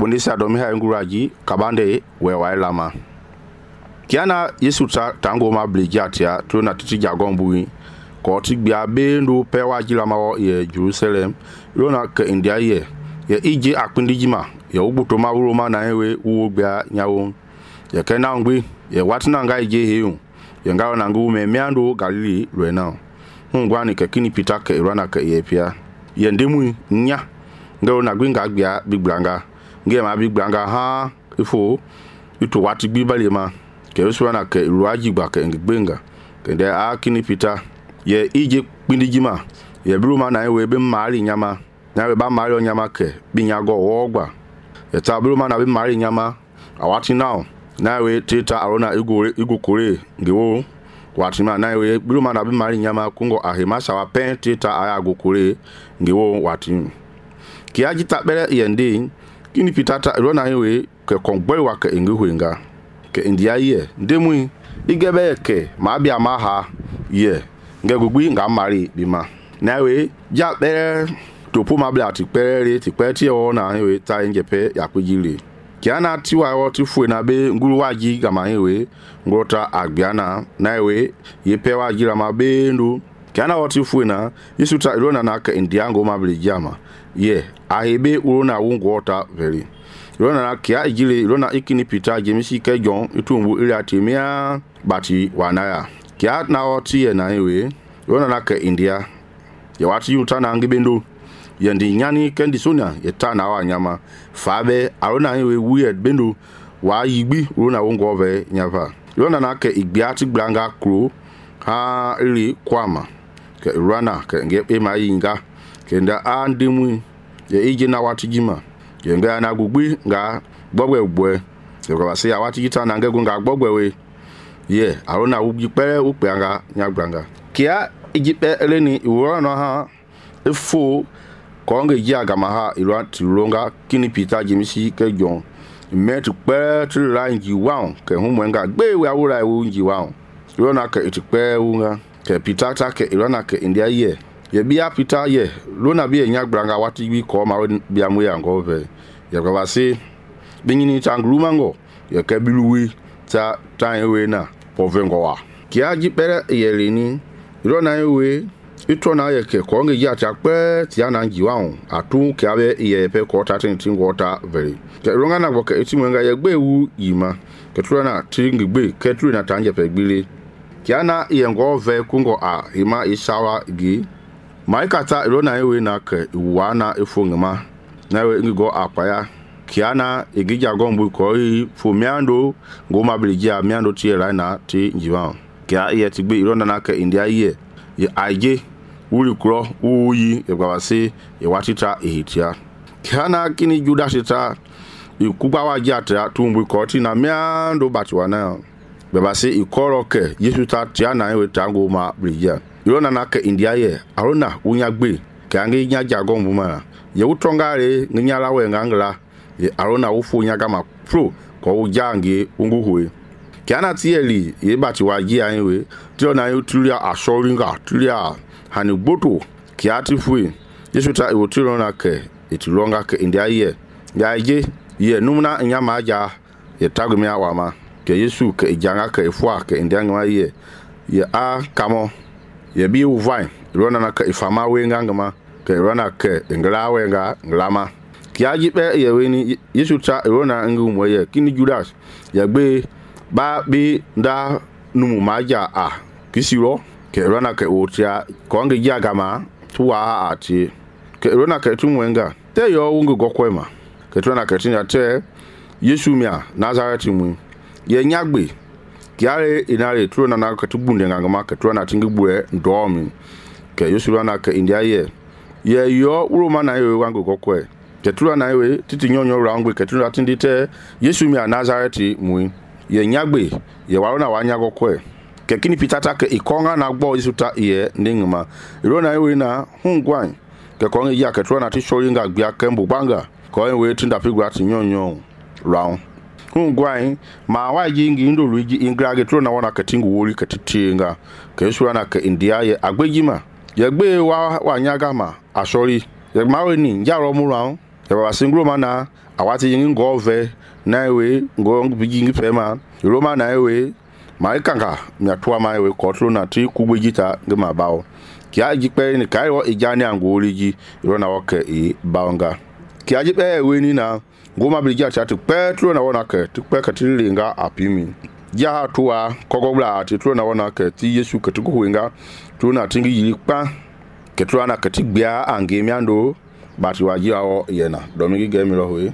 bondisia domi ha nguraji kabande we wa lama kiana Yesu tango ma blejatia to na titi jagombu ko ti gbia bendo pe wa jilama wo ye Jerusalem lona ke India ye ije akpindijima ye ubuto ma wuro na ewe wo gbia nyawo ye kena ngbi ye watina nga ije heyu ye ngawo na ngu me miando Galili lwena ngwani ke kini Peter ke irana ke ye pia ye ndemu nya ngawo na gwinga gbia bigbranga nge ma bigbranga ha ifo itu wati gbibalema ke uswana ke ruaji gba ke ngbenga ke de kini Peter ye ije kpindijima ye bruma na ewe be mari nyama na we ba mari onyama ke binyago wogba ye ta bruma na be mari nyama awati now na we teta arona igo kore ngewo watima na we bruma na be mari nyama kungo ahima sawa pen teta aya go kore ngewo watim ki ajita bere yende kini Peter ta rona ewe ke kongboi wa ke ngehuenga ke India ye ndemui igebe ke ma bia ma ha ye nge gugbi nga mari bima na we ja bere topo ma bla ti pere ti peti o na we ta njepe ya kwejile kiana tiwa o ti fu na be nguru waji ga ma we ngota agbiana na we ye pe waji la ma be ndu kiana o ti fu na Yesu ta rona na ke India ngo ma bli jama ye ahebe urona wungota very rona na kia ijile rona ikini Peter James ke John itumbu ile atimia bati wanaya kia na oti ye na ewe rona na ke India ya wati yuta na ngibendo yendi nyani kendi sonia yeta na wa nyama fabe arona ewe weird bendo wa yigbi rona wongo ve nyava rona na ke igbiati blanga kro ha ri kwama ke rana ke nge e ma yinga kenda andemu ye ije na wati jima yenga na gugbi nga gbogbe se ko se awati jita na ngego nga gbogbe we ye arona ubi pere upeanga nyagbanga kia ijipe eleni iwora no ha efo ko nge ji agama ha iro tilonga kini Peter James ke John met pere ti rangi wa ke humwenga gbe we awura ewu nji wa rona ke itipe unga ke Peter ta ke irona ke India ye ye bia Peter ye lona bia nyagbanga wati bi ko ma bia mu ya ngove ye kwa se binyini tangrumango ye ke biluwi ta ewe na povengo wa kia ji pere ye leni rona ewe itona ye ke ko nge ya ta pe ti ana njiwa atu ke abe ye pe ko ta tin ngota very ke ronga na bo ke itimwenga ye gbewu yima ke trona tingi gbe ke trona tanje pe gbile kiana ye ngove kungo a hima isawa gi maikata rona ewe na ke wana efongema na we ngigo apaya kiana igija gombu ko yi fumiando ngoma bilijia miando tie na ti njiwa kia ye tigbe irona na ke India ye aje uri kro uyi e gwase e watita ehitia kiana kini Judas ta ikuba wajata tumbu ko ti na miando batwana bebase ikoro ke Yesu ta tiana ewe tango ma bilijia irona na ke India ye arona unya gbe kangi nya jagombu ma ye utongare nginyala we ngangla ye arona ufu nya gama pro ko ujangi unguhwe kiana tieli ye bati waji anwe tiona yutulia ashoringa tulia hani gboto kiati fue Yesu ta iwotiro na ke itilonga ke India ye ya je ye numna nyama aja ye tagumia wama ke Yesu ke ijanga ke ifua ke India ngwa ye kamo ye bi uvai rona na ke ifama we ngangama ke rona ke ngla we nglama kiaji pe ye weni Yesu ta rona ngu mo ye kini Judas ye gbe ba bi nda numu maja kisiro ke rona ke otia ko nge jagama tuwa ati ke rona ke tumwenga te yo ungu gokwema ke rona ke tinya te Yesu mia Nazareth mu ye nyagbe kiare inare trona na ke tubunde ngangama ke trona tingibue ndomi ke Yesu rona ke India ye yo uroma na yo wangu gokwe ke trona we titi nyonyo rangwe ke trona tindite Yesu mia Nazareth mu ye nyagbe ye warona wanya gokwe ke kini Peter ta ke ikonga na gbo Yesu ta ye ndingma irona we na hungwan ke konga ya ke trona ti shoringa gbia kembu banga ko we tinda pigwa ti nyonyo round hungwan ma waji ngi ndo luigi ingrage trona wana ke tingu wori ke titinga ke Yesu na ke India ye agbejima ye gbe wa nyaga ma asori ye mawe ni njaro mu round ye ba singro mana awati yingi ngo ve na we ngo bijingi pema roma na we mai kanga mia tua mai we kotlo na ti kubujita ngema bawo kia jipe ni kai wo ijani angoli ji ro na woke e baonga kia jipe we ni na ngoma bilija chatu petro na wona ke tu pe ka tilinga apimi ja tua kogobla ti tro na wona ke ti yesu ke tu kuinga tu na tingi yili pa ke tro na ke ti gbia ange miando bati waji awo yena domingi gemi lo we